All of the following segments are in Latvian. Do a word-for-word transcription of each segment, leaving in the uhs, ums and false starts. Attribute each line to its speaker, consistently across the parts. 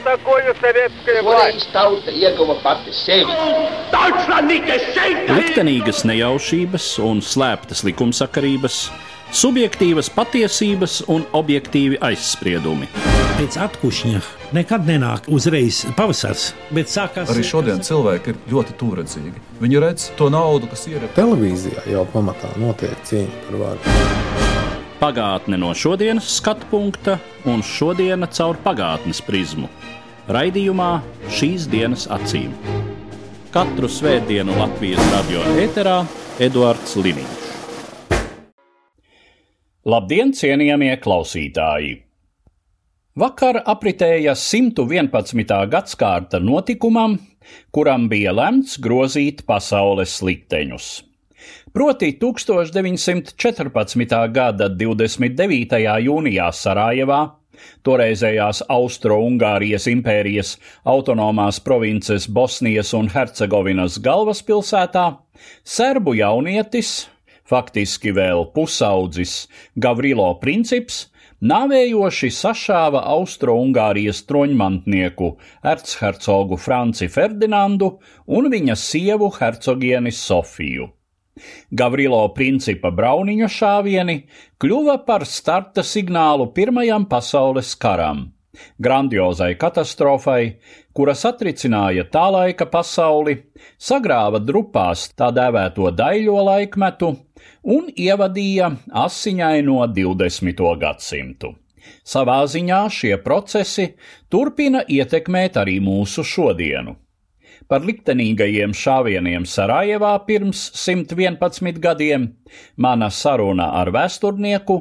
Speaker 1: такое советская власть?
Speaker 2: Tauta ieguva pati sevi.
Speaker 3: Liktenīgas nejaušības un slēptas likumsakarības, subjektīvas patiesības un objektīvi aizspriedumi.
Speaker 4: Pēc atkušņa nekad nenāk uzreiz pavasars, bet sākās...
Speaker 5: Arī šodien cilvēki ir ļoti tuvredzīgi. Viņi redz to naudu, kas ir...
Speaker 6: Televīzijā jau pamatā notiek cīņa par varu.
Speaker 3: Pagātne no šodienas skatu punkta un šodiena caur pagātnes prizmu. Raidījumā Šīs dienas acīm. Katru svētdienu Latvijas radio ēterā Eduards Liniņš. Labdien, cienījamie klausītāji! Vakar apritēja simt vienpadsmitā gadskārta notikumam, kuram bija lemts grozīt pasaules likteņus. Proti tūkstoš deviņsimt četrpadsmitā gada divdesmit devītajā jūnijā Sarajevā, toreizējās Austro-Ungārijas impērijas autonomās provinces Bosnijas un Hercegovinas galvaspilsētā, serbu jaunietis, faktiski vēl pusaudzis Gavrilo Princips, nāvējoši sašāva Austro-Ungārijas troņmantnieku erchercogu Franci Ferdinandu un viņa sievu hercogieni Sofiju. Gavrilo Principa brauniņu šāvieni kļuva par starta signālu Pirmajam pasaules karam, grandiozai katastrofai, kura satricināja tā laika pasauli, sagrāva drupās tā dēvēto daļo laikmetu un ievadīja asiņaino divdesmito gadsimtu. Savā ziņā šie procesi turpina ietekmēt arī mūsu šodienu. Par liktenīgajiem šāvieniem Sarajevā pirms simt vienpadsmit gadiem mana saruna ar vēsturnieku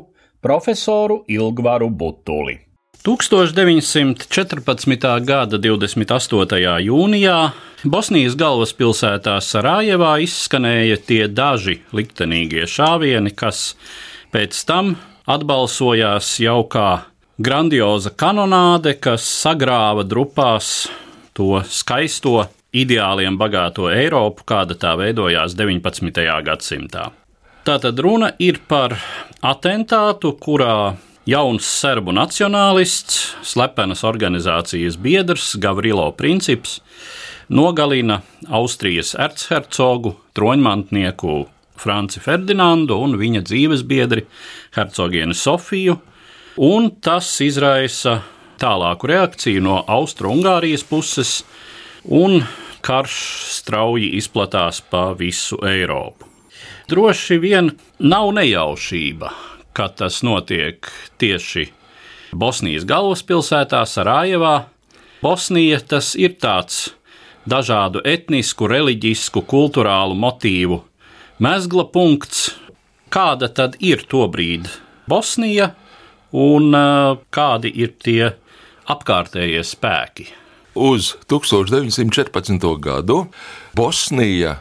Speaker 3: profesoru Ilgvaru Butuli. tūkstoš deviņsimt četrpadsmitā gada divdesmit astotajā jūnijā Bosnijas galvaspilsētā Sarajevā izskanēja tie daži liktenīgie šāvieni, kas pēc tam atbalsojās jau kā grandioza kanonāde, kas sagrāva drupās to skaisto, ideāliem bagāto Eiropu, kāda tā veidojās deviņpadsmitajā gadsimtā. Tātad runa ir par atentātu, kurā jauns serbu nacionālists, slepenas organizācijas biedrs Gavrilo Princips nogalina Austrijas erchercogu, troņmantnieku Franci Ferdinandu un viņa dzīves biedri hercogieni Sofiju, un tas izraisa tālāku reakciju no Austro-Ungārijas puses, un karš strauji izplatās pa visu Eiropu. Droši vien nav nejaušība, ka tas notiek tieši Bosnijas galvaspilsētā Sarajevā. Bosnija tas ir tāds dažādu etnisku, reliģisku, kulturālu motīvu mezgla punkts. Kāda tad ir tobrīd Bosnija un kādi ir tie apkārtējie spēki?
Speaker 7: Uz tūkstoš deviņsimt četrpadsmito gadu Bosnija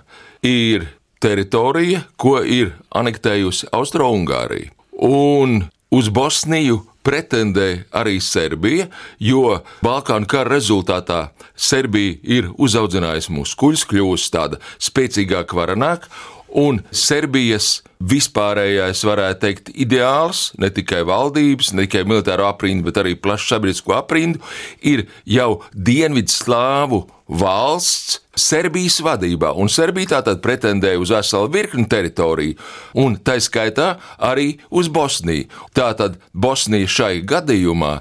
Speaker 7: ir teritorija, ko ir anektējusi Austro-Ungārija. Un uz Bosniju pretendē arī Serbija, jo Balkānu kara rezultātā Serbija ir uzaudzinājusi muskuļus, kļūst tāda spēcīgāka, varenāka, un Serbijas vispārējais, varētu teikt, ideāls, ne tikai valdības, ne tikai militāro aprindu, bet arī plašu sabiedrisko aprindu, ir jau Dienvidslāvu valsts Serbijas vadībā, un Serbija tātad pretendēja uz veselu virkni teritoriju, un tā skaitā arī uz Bosniju. Tātad Bosnija šai gadījumā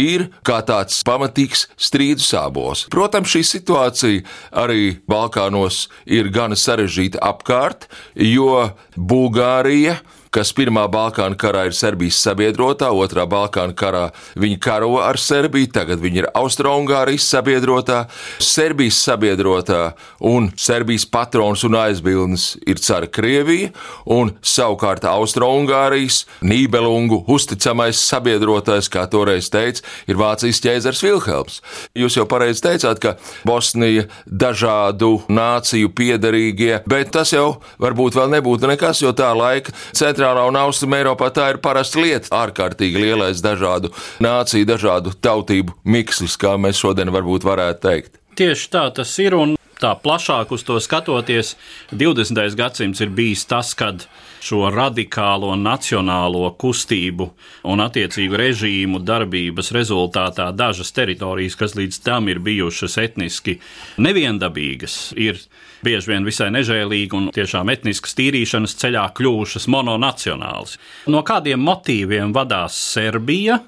Speaker 7: ir kā tāds pamatīgs strīdu sābols. Protams, šī situācija arī Balkānos ir gana sarežģīta apkārt, jo Bulgārija, kas pirmā Balkānu karā ir Serbijas sabiedrotā, otrā Balkānu karā viņi karo ar Serbiju, tagad viņi ir Austro-Ungārijas sabiedrotā, Serbijas sabiedrotā un Serbijas patrons un aizbildnis ir cara Krievija, un savukārt Austro-Ungārijas Nībelungu uzticamais sabiedrotais, kā toreiz teica, ir Vācijas ķēzars Vilhelms. Jūs jau pareizi teicāt, ka Bosnija dažādu nāciju piederīgie, bet tas jau varbūt vēl nebūtu nekas, jo tā laika centrā Centrālā un Austruma Eiropā tā ir parasta lieta, ārkārtīgi lielais dažādu nāciju, dažādu tautību mikslis, kā mēs šodien varbūt varētu teikt.
Speaker 3: Tieši tā tas ir, un tā plašāk uz to skatoties, divdesmitais gadsimts ir bijis tas, kad šo radikālo nacionālo kustību un attiecīgu režīmu darbības rezultātā dažas teritorijas, kas līdz tam ir bijušas etniski neviendabīgas, ir bieži vien visai nežēlīgi un tiešām etniskas tīrīšanas ceļā kļuvušas mononacionāls. No kādiem motīviem vadās Serbija,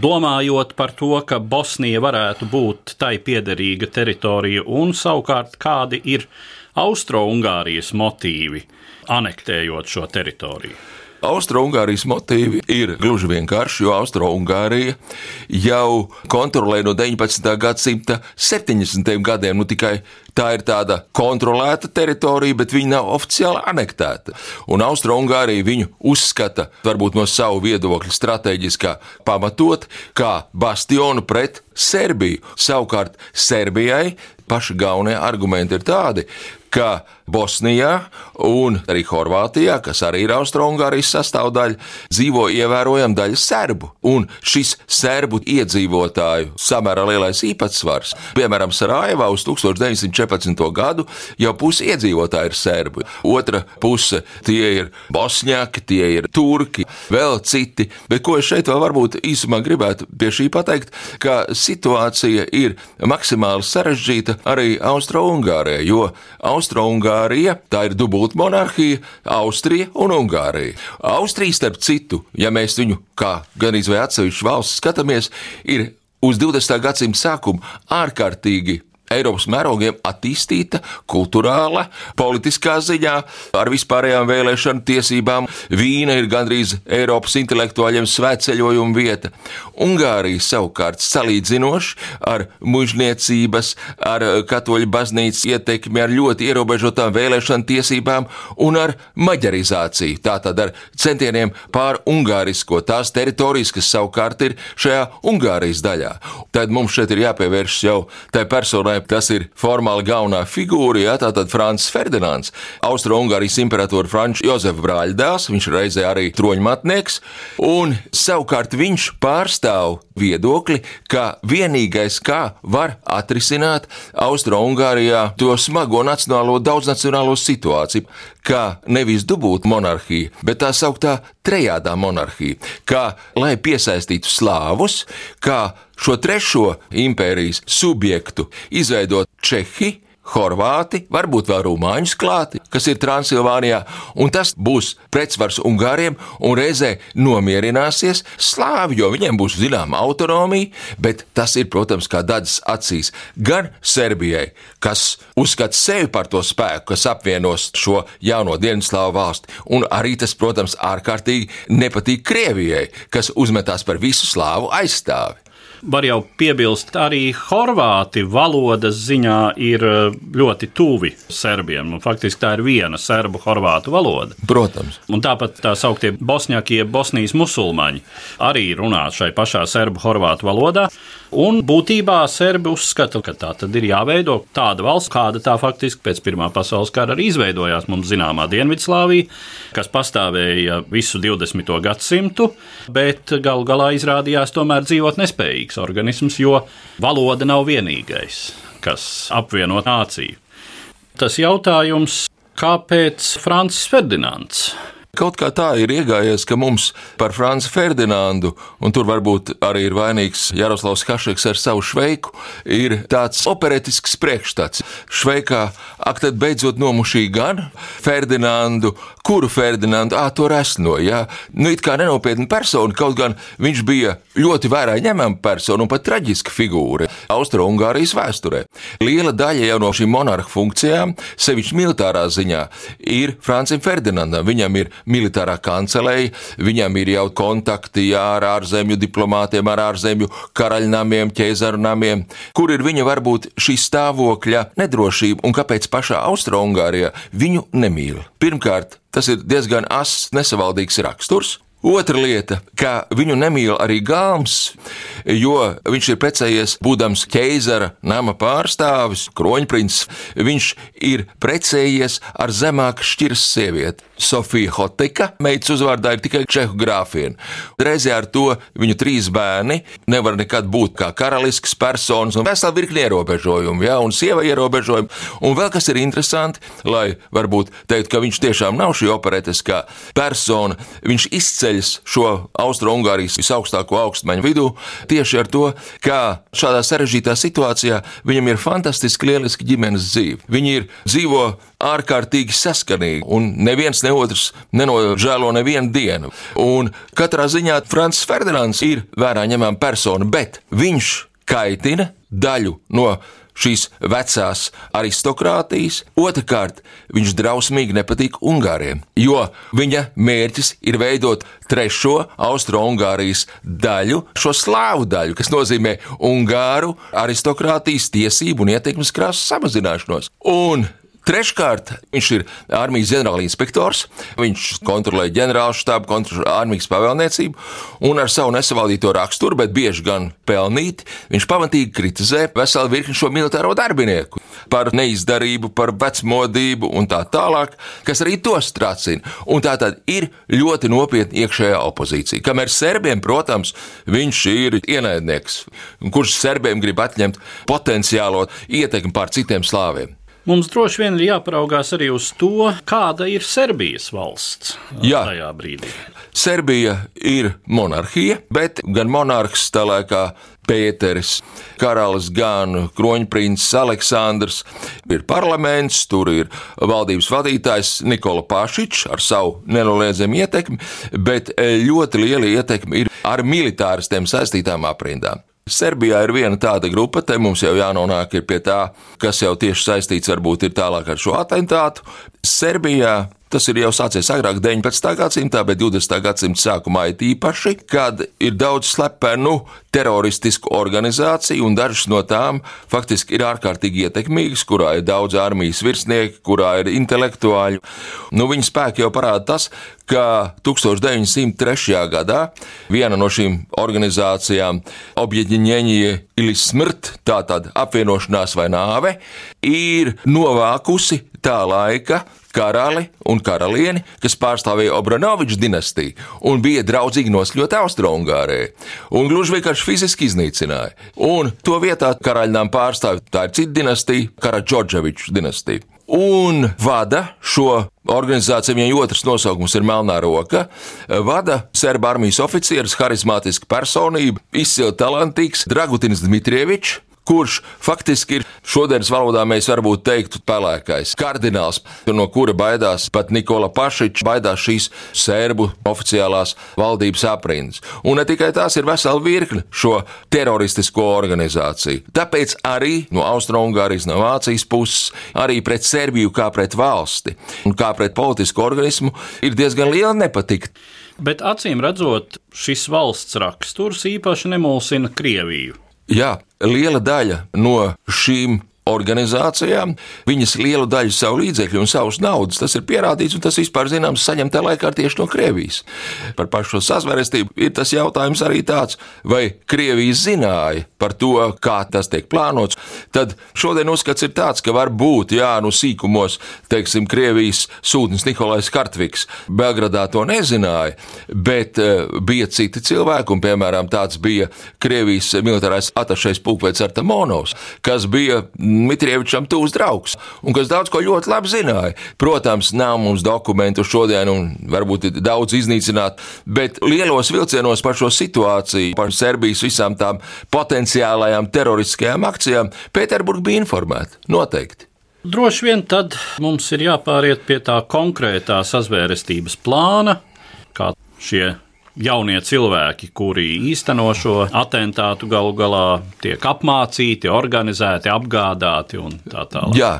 Speaker 3: domājot par to, ka Bosnija varētu būt tai piederīga teritorija, un savukārt kādi ir Austro-Ungārijas motīvi, anektējot šo teritoriju?
Speaker 7: Austro-Ungārijas motīvi ir gluži vienkārši, jo Austro-Ungārija jau kontrolē no deviņpadsmitā gadsimta septiņdesmitajiem gadiem, nu tikai tā ir tāda kontrolēta teritorija, bet viņa nav oficiāli anektēta. Un Austro-Ungārija viņu uzskata, varbūt no savu viedokļu strateģiskā pamatot, kā bastionu pret Serbiju. Savukārt Serbijai paši galvenie argumenti ir tādi, ka Bosnijā un arī Horvātijā, kas arī ir Austro-Ungārijas sastāvdaļa, dzīvo ievērojama daļa serbu. Un šis serbu iedzīvotāju samērā lielais īpatsvars, piemēram, Sarajevā uz tūkstoš deviņsimt četrpadsmito gadu jau pusi iedzīvotāji ir serbi. Otra puse tie ir bosņāki, tie ir turki, vēl citi. Bet ko es šeit vēl varbūt īsumā gribētu pie šī pateikt, ka situācija ir maksimāli sarežģīta arī Austro-Ungārijā, jo Austro-Ungārija, tā ir dubulta monarhija, Austrija un Ungārija. Austrija, starp citu, ja mēs viņu kā gan izvēl atsevišķu valsts skatāmies, ir uz divdesmitā gadsimta sākumu ārkārtīgi Eiropas mērogiem attīstīta kulturāla, politiskā ziņā, ar vispārējām vēlēšanu tiesībām. Vīna ir gandrīz Eiropas intelektuāļiem svētceļojuma vieta. Ungārija savukārt salīdzinoši ar mužniecības, ar katoļu baznīcas ietekmi, ar ļoti ierobežotām vēlēšanu tiesībām un ar maģarizāciju, tātad ar centieniem pār ungārisko tās teritorijas, kas savukārt ir šajā Ungārijas daļā. Tad mums šeit ir jāpievērš jau tai personai, kas ir formāli galvenā figūra, jā, tātad Francis Ferdinands, Austro-Ungārijas imperatora Franča Jozefa brāļdēls, viņš reizē arī troņmatnieks, un savukārt viņš pārstāv viedokli, ka vienīgais, kā var atrisināt Austro-Ungārijā to smago nacionālo, daudznacionālo situāciju, kā nevis dubulta monarhija, bet tā sauktā trejādā monarhija, kā lai piesaistītu slāvus, kā šo trešo impērijas subjektu izveidot Čehi, Horvāti, varbūt vēl rumāņus klāti, kas ir Transilvānijā, un tas būs pretsvars Ungāriem un reizē nomierināsies slāvi, jo viņiem būs zināma autonomija, bet tas ir, protams, kā dadas acīs gan Serbijai, kas uzskata sevi par to spēku, kas apvienos šo jauno Dienvidslāvu valsti, un arī tas, protams, ārkārtīgi nepatīk Krievijai, kas uzmetās par visu slāvu aizstāvi.
Speaker 3: Var jau piebilst, arī horvāti valodas ziņā ir ļoti tuvi serbiem. Faktiski tā ir viena serbu-horvātu valoda.
Speaker 7: Protams.
Speaker 3: Un tāpat tā sauktie bosņākie, Bosnijas musulmaņi arī runā šai pašā serbu-horvātu valodā. Un būtībā serbi uzskata, ka tā tad ir jāveido tāda valsts, kāda tā faktiski pēc Pirmā pasaules kara arī izveidojās mums zināmā Dienvidslāvija, kas pastāvēja visu divdesmito gadsimtu, bet galu galā izrādījās tomēr dzīvot nespējīgs organisms, jo valoda nav vienīgais, kas apvieno nāciju. Tas jautājums, kāpēc Francis Ferdinands?
Speaker 7: Kaut kā tā ir iegājies, ka mums par Franci Ferdinandu, un tur varbūt arī ir vainīgs Jaroslavs Hašeks ar savu Šveiku, ir tāds operetisks priekšstats. Šveikā, ak tad beidzot nomušī gan Ferdinandu, kuru Ferdinandu, ā, to resno, jā. Nu, it kā nenopietna persona, kaut gan viņš bija ļoti vērā ņemama persona un pat traģiska figūra Austro-Ungārijas vēsturē. Liela daļa jau no šīm monarhu funkcijām, sevišķi militārā ziņā, ir Francim Ferdinandam. Viņam ir militārā kancelēja, viņam ir jau kontakti jā, ar ārzemju diplomātiem, ar ārzemju karaļnamiem, ķēzarnamiem, kur ir viņa varbūt šī stāvokļa nedrošība un kāpēc pašā Austro-Ungārijā viņu nemīl. Pirmkārt, tas ir diezgan ass, nesavaldīgs raksturs. Otra lieta, ka viņu nemīl arī Galms, jo viņš ir precējies, būdams ķeizara nama pārstāvis, kroņprincs, viņš ir precējies ar zemāk šķiras sievieti. Sofija Hotika, meitas uzvārdā ir tikai čehu grāfiena. Reizē ar to viņu trīs bērni nevar nekad būt kā karalisks personas un vesela virkni ierobežojumu, ja, un sieva ierobežojumu. Un vēl kas ir interesanti, lai varbūt teikt, ka viņš tiešām nav šī operetiskā persona, viņš izceļas šo Austro-Ungārijas visaugstāko augstmaņu vidū tieši ar to, kā šādā sarežģītā situācijā viņam ir fantastiski lieliski ģimenes dzīve. Viņi ir dzīvo ārkārtīgi saskanīgi, un neviens ne otrs nenožēlo nevienu dienu. Un katrā ziņā Francis Ferdinands ir vērā ņemama persona, bet viņš kaitina daļu no šīs vecās aristokrātijas. Otrakārt, viņš drausmīgi nepatīk Ungāriem, jo viņa mērķis ir veidot trešo Austro-Ungārijas daļu, šo slāvu daļu, kas nozīmē Ungāru aristokrātijas tiesību un ietekmes krāsas samazināšanos. Un treškārt, viņš ir armijas ģenerālinspektors, viņš kontrolē ģenerālštābu, kontrolē armijas pavēlniecību, un ar savu nesavaldīto raksturu, bet bieži gan pelnīti, viņš pamatīgi kritizē veselu virkni šo militāro darbinieku par neizdarību, par vecmodību un tā tālāk, kas arī tos tracina. Un tā tad ir ļoti nopietna iekšējā opozīcija. Kamēr serbiem, protams, viņš ir ienaidnieks, kurš serbiem grib atņemt potenciālo ietekmi pār citiem slāviem.
Speaker 3: Mums droši vien ir jāparaugās arī uz to, kāda ir Serbijas valsts
Speaker 7: Jā.
Speaker 3: tajā brīdī.
Speaker 7: Serbija ir monarhija, bet gan monarhs tā laikā Pēteris, karalis, gan kroņprincis Aleksandrs, ir parlaments, tur ir valdības vadītājs Nikola Pašičs ar savu nenoliedzamu ietekmi, bet ļoti liela ietekme ir ar militāristiem saistītām aprindām. Serbijā ir viena tāda grupa, te mums jau jānonāk ir pie tā, kas jau tieši saistīts varbūt ir tālāk ar šo atentātu. Serbijā tas ir jau sācies agrāk deviņpadsmitā gadsimtā, bet divdesmitā gadsimta sākumā ir īpaši, kad ir daudz slepenu teroristisku organizāciju, un dažas no tām faktiski ir ārkārtīgi ietekmīgas, kurā ir daudz armijas virsnieki, kurā ir intelektuāļi. Nu, viņa spēki jau parāda tas, ka tūkstoš deviņsimt trešajā gadā viena no šīm organizācijām, Objedinjenije ili smrt, tātad apvienošanās vai nāve, ir novākusi tā laika karali un karalieni, kas pārstāvēja Obranoviču dinastiju un bija draudzīgi nosļot Austro-Ungārijai. Un gluži vienkārši fiziski iznīcināja. Un to vietā karaļnām pārstāv, tā ir cita dinastija, Karadžordževiču dinastija. Un vada šo organizāciju, viņai otrs nosaukums ir Melnā roka, vada serba armijas oficieris, harizmātiska personība, izcili talantīgs Dragutins Dmitrievičs, kurš faktiski ir šodienas valodā mēs varbūt teiktu pelēkais kardināls, no kura baidās pat Nikola Pašičs, baidās šīs sērbu oficiālās valdības aprindas. Un ne tikai tās ir vesela virkne šo teroristisko organizāciju. Tāpēc arī no Austro-Ungārijas, no Vācijas puses, arī pret Serbiju kā pret valsti un kā pret politisku organismu ir diezgan liela nepatika.
Speaker 3: Bet acīm redzot, šis valsts raksturs īpaši nemulsina Krieviju.
Speaker 7: Jā, liela daļa no šīm organizācijām, viņas lielu daļu savu līdzekļu un savus naudas, tas ir pierādīts un tas vispār zināms saņemtā laikā tieši no Krievijas. Par pašu sazvērestību ir tas jautājums arī tāds, vai Krievija zināja par to, kā tas tiek plānots. Tad šodien uzskats ir tāds, ka var būt, jā, nu sīkumos, teiksim, Krievijas sūtnis Nikolais Kartviks Belgradā to nezināja, bet uh, bija citi cilvēki, un piemēram tāds bija Krievijas militārais atašais pulkvedis Artamonovs, kas bija Dmitrievičam tūs draugs, un kas daudz ko ļoti labi zināja. Protams, nav mums dokumentu šodien, un varbūt ir daudz iznīcināt, bet lielos vilcienos par šo situāciju, par Serbijas visām tām potenciālajām teroristiskajām akcijām, Pēterburga bija informēta, noteikti.
Speaker 3: Droši vien tad mums ir jāpāriet pie tā konkrētā sazvērestības plāna, kā šie jaunie cilvēki, kuri īsteno šo atentātu, galu galā tiek apmācīti, organizēti, apgādāti un tā tālāk.
Speaker 7: Jā,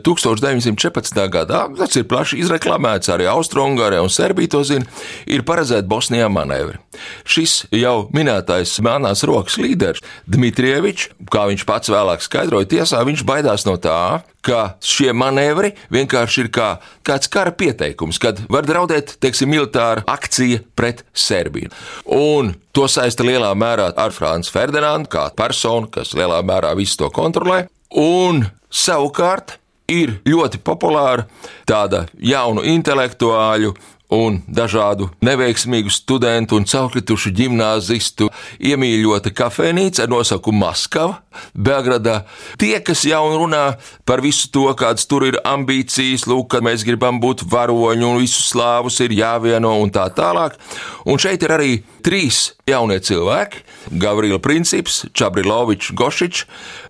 Speaker 7: tūkstoš deviņsimt četrpadsmitajā gadā, tas ir plaši izreklamēts, arī Austro-Ungārija un Serbija to zina, ir paredzēta Bosnijā manevri. Šis jau minētais melnās rokas līderis Dmitrievičs, kā viņš pats vēlāk skaidroja tiesā, viņš baidās no tā, ka šie manevri vienkārši ir kā kāds kara pieteikums, kad var draudēt, teiksim, militāra akcija pret Serbiju. Un to saista lielā mērā ar Franci Ferdinandu, kā personu, kas lielā mērā visu to kontrolē. Un savukārt ir ļoti populāra tāda jaunu intelektuāļu un dažādu neveiksmīgu studentu un caurkritušu ģimnāzistu iemīļota kafejnīca ar nosaukumu Maskava, Belgradā. Tie, kas jau runā par visu to, kādas tur ir ambīcijas, lūk, kad mēs gribam būt varoņi un visus slāvus ir jāvieno un tā tālāk. Un šeit ir arī trīs jaunie cilvēki – Gavrila Princips, Čabrilovičs, Gošičs.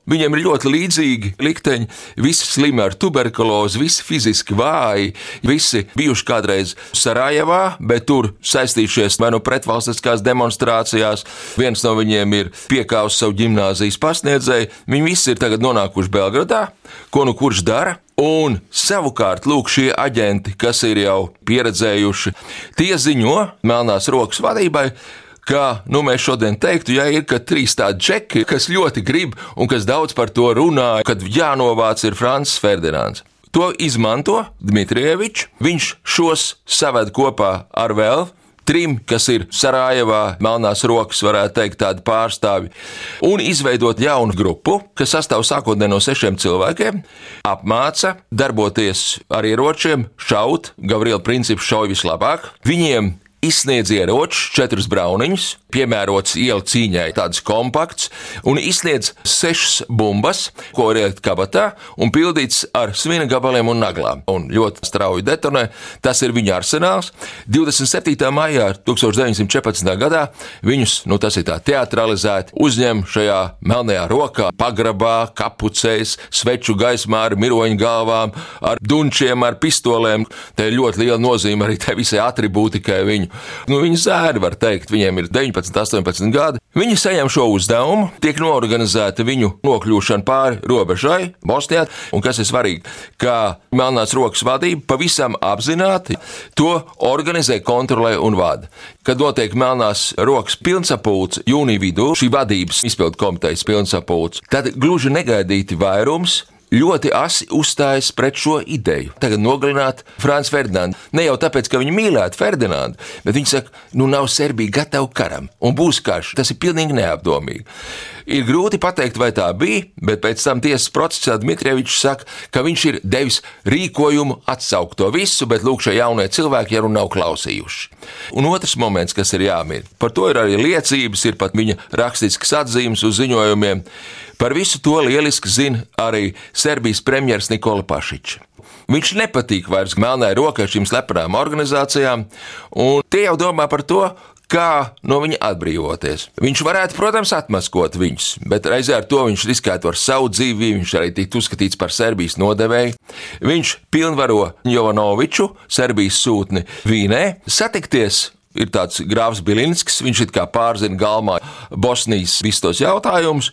Speaker 7: Viņiem ir ļoti līdzīgi likteņi, visi slimi ar tuberkulozi, visi fiziski vāji, visi bijuši kādreiz Sarajevā, bet tur saistījušies vai nu pretvalstiskās demonstrācijās. Viens no viņiem ir piekāvis savu ģimnāzijas pasniedzēju. Viņi visi ir tagad nonākuši Belgradā, ko nu kurš dara. Un savukārt, lūk, šie aģenti, kas ir jau pieredzējuši, tie ziņo melnās rokas vadībai, ka, nu, mēs šodien teiktu, ja ir, ka trīs tādi džeki, kas ļoti grib un kas daudz par to runā, kad jānovāc ir Francis Ferdinands. To izmanto Dmitrievičs, viņš šos saved kopā ar vēl trim, kas ir Sarajevā, melnās rokas, varētu teikt, tādi pārstāvi, un izveidot jaunu grupu, kas sastāv sākotnēji no sešiem cilvēkiem, apmāca darboties ar ieročiem, šaut, Gavrila Princips šauj vislabāk, viņiem izsniedz ieročus, četrus brauniņus, piemērots ielu cīņai, tāds kompakts, un izsniedz sešas bumbas, ko var ielikt kabatā, un pildīts ar svina gabaliem un naglām. Un ļoti strauji detonē, tas ir viņa arsenāls. divdesmit septītā maijā tūkstoš deviņsimt četrpadsmitajā gadā viņus, nu tas ir tā teatralizēti, uzņem šajā melnajā rokā, pagrabā, kapucēs, sveču gaismā ar miroņu galvām, ar dunčiem, ar pistolēm. Te ir ļoti liela nozīme arī tai visai atribūtikai viņu. Nu, viņi zēri, var teikt, viņiem ir deviņpadsmit, astoņpadsmit gadi. Viņi saņem šo uzdevumu, tiek noorganizēta viņu nokļūšana pāri robežai Bosnijā, un kas ir svarīgi, ka melnās rokas vadība pavisam apzināti to organizē, kontrolē un vada. Kad notiek melnās rokas pilnsapulce jūnija vidū, šī vadības izpildu komitejas pilnsapulce, tad gluži negaidīti vairums ļoti asi uzstājas pret šo ideju. Tagad nogalināt Franci Ferdinandu. Ne jau tāpēc, ka viņi mīlētu Ferdinandu, bet viņi saka, nu nav Serbija gatava karam, un būs karš. Tas ir pilnīgi neapdomīgi. Ir grūti pateikt, vai tā bija, bet pēc tam tiesas procesā Dmitrievičs saka, ka viņš ir devis rīkojumu atsaukt to visu, bet lūk, šie jaunie cilvēki jau nav klausījuši. Un otrs moments, kas ir jāmin, par to ir arī liecības, ir pat viņa rakstiskas atzīmes uz ziņojumiem. Par visu to lieliski zina arī Serbijas premjers Nikola Pašičs. Viņš nepatīk vairs melnai rokai šīm slepenām organizācijām, un tie jau domā par to, kā no viņa atbrīvoties. Viņš varētu, protams, atmaskot viņus, bet reizē ar to viņš riskētu ar savu dzīvi, viņš arī tiktu uzskatīts par Serbijas nodevēju. Viņš pilnvaro Jovanoviču, Serbijas sūtni Vīnē, satikties. Ir tāds grāfs Bilinskis, viņš it kā pārzina galmā Bosnijas visus tos jautājumus,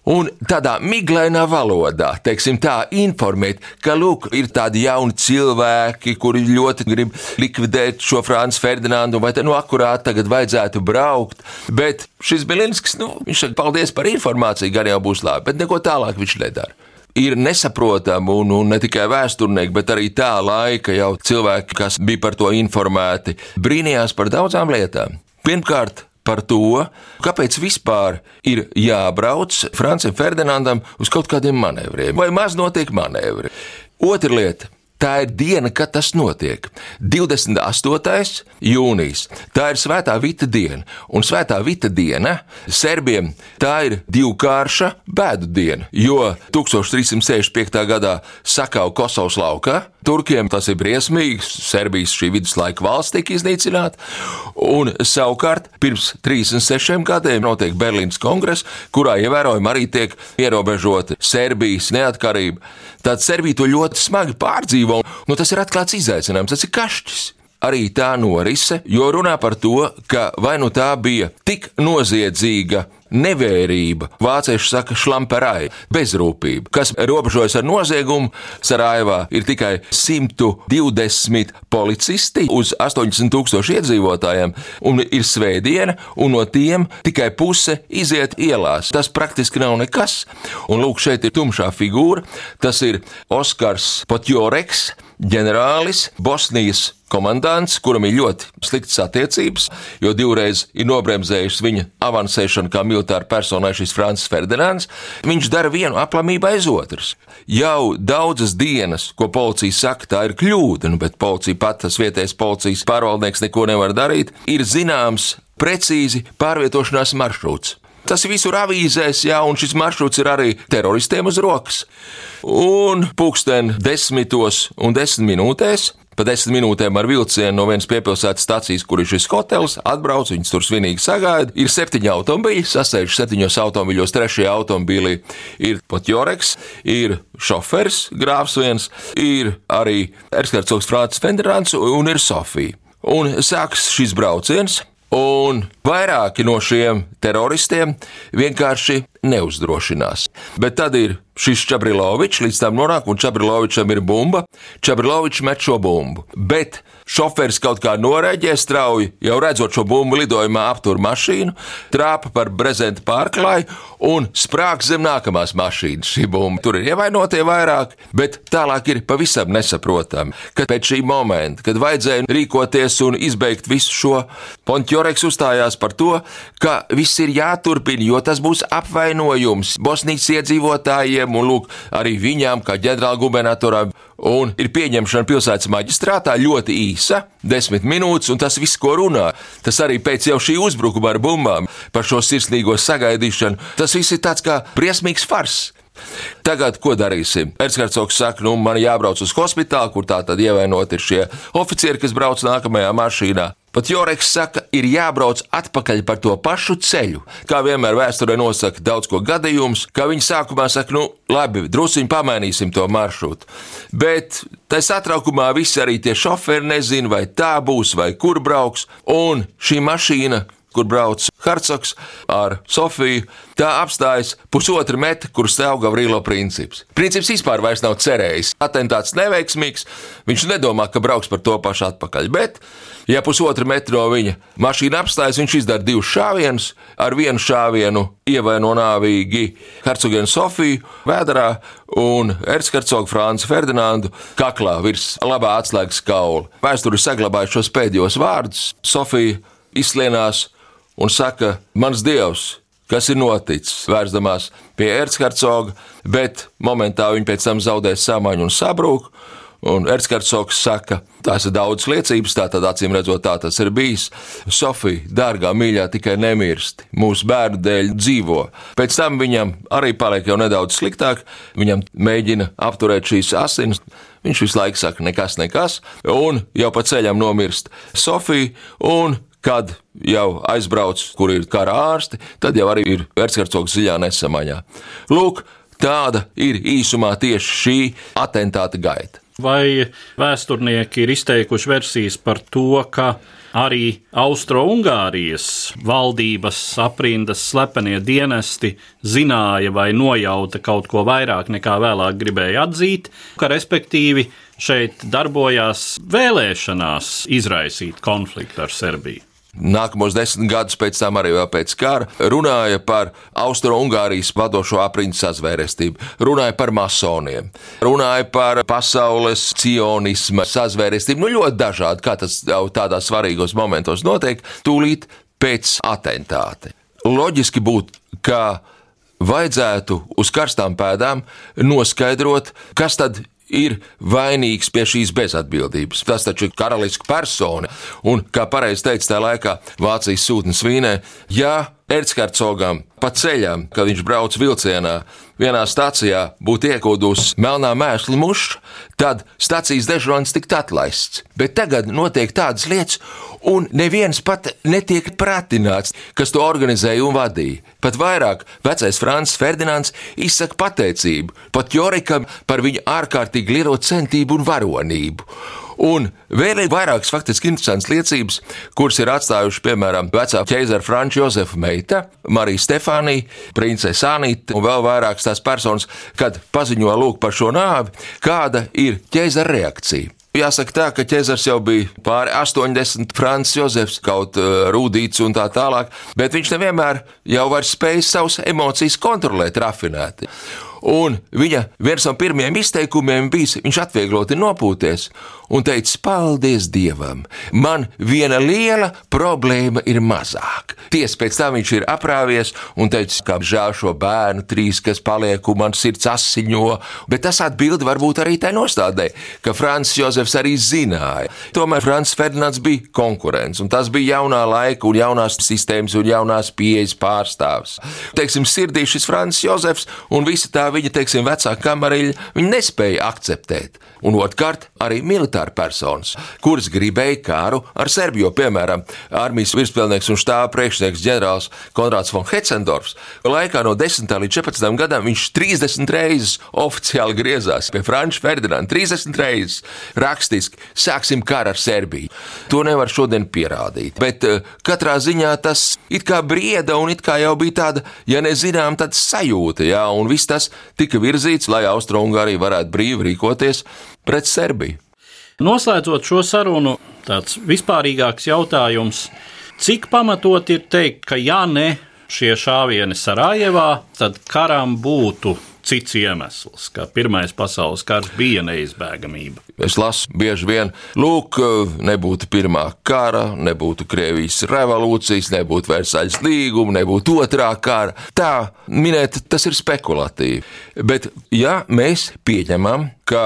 Speaker 7: un tādā miglainā valodā, teiksim tā, informēt, ka, lūk, ir tādi jauni cilvēki, kuri ļoti grib likvidēt šo Franci Ferdinandu, vai te, nu, akurāt tagad vajadzētu braukt, bet šis Bilinskis, nu, viņš saka, paldies par informāciju, gan jau būs labi, bet neko tālāk viņš nedara. Ir nesaprotami, un, un ne tikai vēsturnieki, bet arī tā laika jau cilvēki, kas bija par to informēti, brīnījās par daudzām lietām. Pirmkārt, par to, kāpēc vispār ir jābrauc Francim Ferdinandam uz kaut kādiem manevriem, vai maz notiek manevri. Otra lieta. Tā ir diena, kad tas notiek. divdesmit astotais jūnijas. Tā ir Svētā Vita diena. Un Svētā Vita diena serbiem tā ir divkārša bēdu diena, jo tūkstoš trīs simt sešdesmit piektā gadā sakau Kosovas laukā. Turkiem tas ir briesmīgi, Serbijas šī viduslaika valsts tika iznīcināta, un savukārt pirms trīsdesmit sešiem gadiem notiek Berlīnas kongress, kurā ievērojami arī tiek ierobežota Serbijas neatkarība. Tad Serbija to ļoti smagi pārdzīvo, nu tas ir atklāts izaicinājums, tas ir kašķis. Arī tā norise, jo runā par to, ka vai nu tā bija tik noziedzīga nevērība, vācieši saka šlamperai, bezrūpība, kas robežojas ar noziegumu. Sarajevā ir tikai simt divdesmit policisti uz astoņdesmit tūkstoši iedzīvotājiem, un ir svētdiena, un no tiem tikai puse iziet ielās. Tas praktiski nav nekas. Un lūk, šeit ir tumšā figūra, tas ir Oskars Potjoreks, ģenerālis, Bosnijas komandants, kuram ir ļoti sliktas attiecības, jo divreiz ir nobremzējusi viņa avansēšanu kā militāra personai šis Francis Ferdinands. Viņš dara vienu aplamību aiz otras. Jau daudzas dienas, ko policija saka, tā ir kļūda, nu, bet policija pat, tas vietējais policijas pārvaldnieks neko nevar darīt, ir zināms precīzi pārvietošanās maršruts. Tas ir visur avīzēs, jā, un šis maršruts ir arī teroristiem uz rokas. Un pulksten desmitos un desmit minūtēs, pa desmit minūtēm ar vilcienu no vienas piepilsētas stacijas, kur ir šis hotels, atbrauc, viņus tur svinīgi sagaida. Ir septiņi automobīļi, sasēž septiņos automobīļos, trešajā automobīlī ir Potjoreks, ir šofers, grāfs viens, ir arī erzhercogs Francis Ferdinands un ir Sofija. Un sāks šis brauciens. Un vairāki no šiem teroristiem vienkārši neuzdrošinās. Bet tad ir šis Čabrilovičs, līdz tam nonāk, un Čabrilovičam ir bumba. Čabrilovičs met šo bumbu. Bet šoferis kaut kā noreģē strauji, jau redzot šo bumbu lidojumā, aptur mašīnu, trāpa par brezenta pārklāju un sprāg zem nākamās mašīnas šī bumba. Tur ir ievainotie vairāk, bet tālāk ir pavisam nesaprotami, ka pēc šī momenta, kad vajadzēja rīkoties un izbeigt visu šo, Potjoreks uzstājās par to, ka viss ir jāturpina, jo tas būs apvainojums Bosnijas iedzīvotājiem un lūk arī viņām kā ģenerālgubernatoram. Un ir pieņemšana pilsētas maģistrātā ļoti īsa, desmit minūtes, un tas viss, ko runā, tas arī pēc jau šī uzbrukuma ar bumbām par šo sirsnīgo sagaidīšanu, tas viss ir tāds kā briesmīgs fars. Tagad, ko darīsim? Erzhercogs saka, nu, man jābrauc uz hospitālu, kur tā tad ievainot ir šie oficieri, kas brauc nākamajā mašīnā. Potjoreks saka, ir jābrauc atpakaļ par to pašu ceļu. Kā vienmēr vēsturē nosaka daudz ko gadījums, kā viņi sākumā saka, nu, labi, drusiņi pamainīsim to maršrutu. Bet tai satraukumā visi arī tie šoferi nezin, vai tā būs, vai kur brauks, un šī mašīna, kur brauc hercogs ar Sofiju, tā apstājas pusotra metra, kur stāv Gavrilo Princips. Princips vispār vairs nav cerējis. Atentāts neveiksmīgs, viņš nedomā, ka brauks par to pašu atpakaļ, bet, ja pusotra metra no viņa mašīna apstājas, viņš izdara divus šāvienus, ar vienu šāvienu ievaino nāvīgi hercogienu Sofiju vēderā un erzhercogu Franci Ferdinandu kaklā virs labā atslēgas kaula. Vēsturi saglabāja šos pēdējos vārdus. Sofija izslienās un saka, mans dievs, kas ir noticis, vērsdamās pie erzhercoga, bet momentā viņi pēc tam zaudēs samaņu un sabrūk, un erzhercogs saka, tās ir daudz liecības, tātad acīm redzot, tā tas ir bijis. Sofija, dārgā mīļā, tikai nemirsti, mūsu bērnu dēļ dzīvo. Pēc tam viņam arī paliek jau nedaudz sliktāk, viņam mēģina apturēt šīs asinis, viņš visu laiku saka, nekas, nekas, un jau pa ceļam nomirst Sofija, un kad jau aizbrauc, kur ir kara ārsti, tad jau arī ir erzhercogs dziļā nesamaņā. Lūk, tāda ir īsumā tieši šī atentāta gaita.
Speaker 3: Vai vēsturnieki ir izteikuši versijas par to, ka arī Austro-Ungārijas valdības aprindas slepenie dienesti zināja vai nojauta kaut ko vairāk nekā vēlāk gribēja atzīt, ka respektīvi šeit darbojās vēlēšanās izraisīt konfliktu ar Serbiju?
Speaker 7: Nākamos desmit gadus pēc tam, arī vēl pēc kara, runāja par Austro-Ungārijas vadošo aprindu sazvērestību, runāja par masoniem, runāja par pasaules cionisma sazvērestību, nu ļoti dažādi, kā tas jau tādās svarīgos momentos notiek, tūlīt pēc atentāta. Loģiski būtu, ka vajadzētu uz karstām pēdām noskaidrot, kas tad ir vainīgs pie šīs bezatbildības. Tas taču ir karaliska persona, un, kā pareizi teica tajā laikā Vācijas sūtnis Vīnē, ja erzhercogam pa ceļam, kad viņš brauc vilcienā, vienā stacijā būtu iekūdus melnā mēsla muša, tad stacijas dežurants tiktu atlaists. Bet tagad notiek tādas lietas, un neviens pat netiek pratināts, kas to organizēja un vadīja. Pat vairāk vecais Francis Ferdinands izsaka pateicību Potjorekam par viņa ārkārtīgi lielo centību un varonību. Un vēl ir vairākas faktiski interesantas liecības, kuras ir atstājuši, piemēram, vecā ķeizara Franča Jozefa meita, Marija Stefānija, princese Anita un vēl vairākas tās personas, kad paziņo lūk par šo nāvi, kāda ir ķeizara reakcija. Jāsaka tā, ka ķezars jau bija pāri astoņdesmit, Francis Jozefs, kaut uh, rūdīts un tā tālāk, bet viņš nevienmēr jau var spējis savus emocijas kontrolēt rafinēti. Un viņa viens no pirmajiem izteikumiem bijis, viņš atviegloti nopūties un teica, paldies Dievam, man viena liela problēma ir mazāk. Ties pēc tam viņš ir aprāvies un teica, kā žēl šo bērnu trīs, kas paliek un man sirds asiņo, bet tas atbildi varbūt arī tai nostādē, ka Francis Jozefs arī zināja. Tomēr Francis Ferdinands bija konkurents, un tas bija jaunā laika un jaunās sistēmas un jaunās pieejas pārstāvs. Teiksim, sirdī šis Francis Jozefs un visa tā viņa, teiksim, vecā kamariļa, viņi nespēja akceptēt. Un otrkārt, arī militāri personas, kuras gribēja kāru ar Serbiju, piemēram, armijas virspilnieks un štāba priekšnieks ģenerālis Konrāds von Hetzendorfs. Laikā no desmitā līdz četrpadsmitam gadam viņš trīsdesmit reizes oficiāli griezās pie Franča Ferdinanda, trīsdesmit reizes rakstiski, sāksim kāru ar Serbiju. To nevar šodien pierādīt, bet uh, katrā ziņā tas it kā brieda un it kā jau bija tāda, ja nezinām, tad sajūta, jā, un viss tas tika virzīts, lai Austro-Ungārija varētu brīvi rīkoties pret Serbiju.
Speaker 3: Noslēdzot šo sarunu, tāds vispārīgāks jautājums, cik pamatot ir teikt, ka ja ne šie šāvieni Sarajevā, tad karam būtu cits iemesls, ka Pirmais pasaules karš bija neizbēgamība.
Speaker 7: Es lasu bieži vien, lūk, nebūtu pirmā kara, nebūtu Krievijas revolūcijas, nebūtu Versaļas līguma, nebūtu otrā kara. Tā minēt, tas ir spekulatīvi. Bet ja mēs pieņemam, ka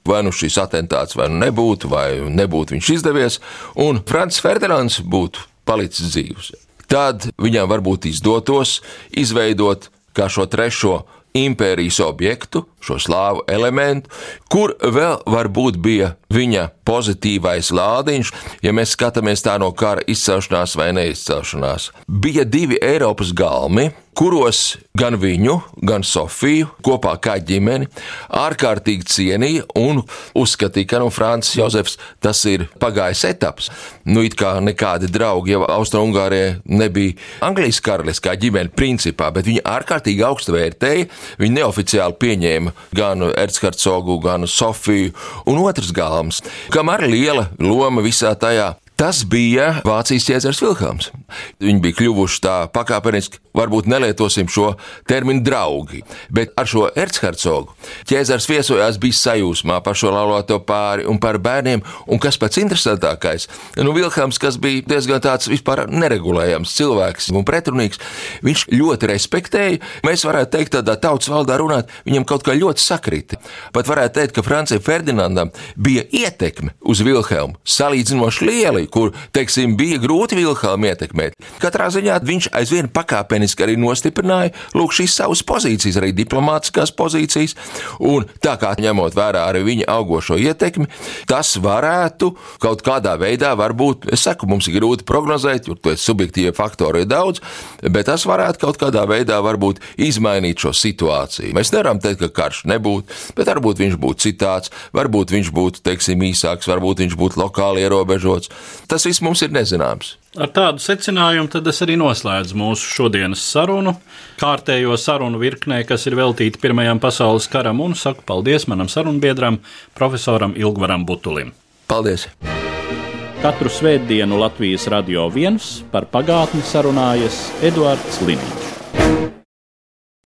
Speaker 7: vai nu šis atentāts vai nu nebūtu, vai nebūtu viņš izdevies, un Francis Ferdinands būtu palicis dzīvs, tad viņam varbūt izdotos izveidot kā šo trešo impērijas objektu, šo slāvu elementu, kur vēl varbūt bija viņa pozitīvais lādiņš, ja mēs skatāmies tā no kara izcelšanās vai neizcelšanās. Bija divi Eiropas galmi, kuros gan viņu, gan Sofiju kopā kā ģimeni ārkārtīgi cienīja un uzskatīja, ka nu Francis Jozefs tas ir pagājis etaps. Nu it kā nekādi draugi jau Austro-Ungārijai nebija Anglijas karaliskā ģimene principā, bet viņi ārkārtīgi augstu vērtēja, viņi neoficiāli pieņēma gan Erzhercogu, gan Sofiju un otrs galms, kam arī liela loma visā tajā. Tas bija Vācijas ķēzars Vilhelms. Viņi bija kļuvuši tā pakāpeniski, varbūt nelietosim šo terminu draugi, bet ar šo Erzhercogu ķēzars viesojās bija sajūsmā par šo laulāto pāri un par bērniem, un kas pats interesantākais, nu Vilhelms, kas bija diezgan tāds vispār neregulējams cilvēks un pretrunīgs, viņš ļoti respektēja, mēs varētu teikt tādā tautas valdā runāt, viņam kaut kā ļoti sakrita. Pat varētu teikt, ka Francijam Ferdinandam bija ietekme uz Vilhelmu salīdzinoši lieli, kur, teiksim, bija grūti Vilhelmu ietekmēt. Katrā ziņā viņš aizvien pakāpeniski arī nostiprināja, lūk, šīs savas pozīcijas, arī diplomātiskās pozīcijas, un tā kā ņemot vērā arī viņa augošo ietekmi, tas varētu kaut kādā veidā, varbūt, es saku, mums ir grūti prognozēt, jo to subjektīvie faktori ir daudz, bet tas varētu kaut kādā veidā varbūt izmainīt šo situāciju. Mēs nevaram teikt, ka karš nebūtu, bet varbūt viņš būtu citāds, varbūt viņš būtu, teiksim, īsāks, varbūt viņš būtu lokāli ierobežots. Tas viss mums ir nezināms.
Speaker 3: Ar tādu secinājumu tad es arī noslēdzu mūsu šodienas sarunu, kārtējo sarunu virknē, kas ir veltīta Pirmajam pasaules karam, un saku paldies manam sarunbiedram, profesoram Ilgvaram Butulim.
Speaker 7: Paldies!
Speaker 3: Katru svētdienu Latvijas Radio viens par pagātni sarunājas Eduards Liniņš.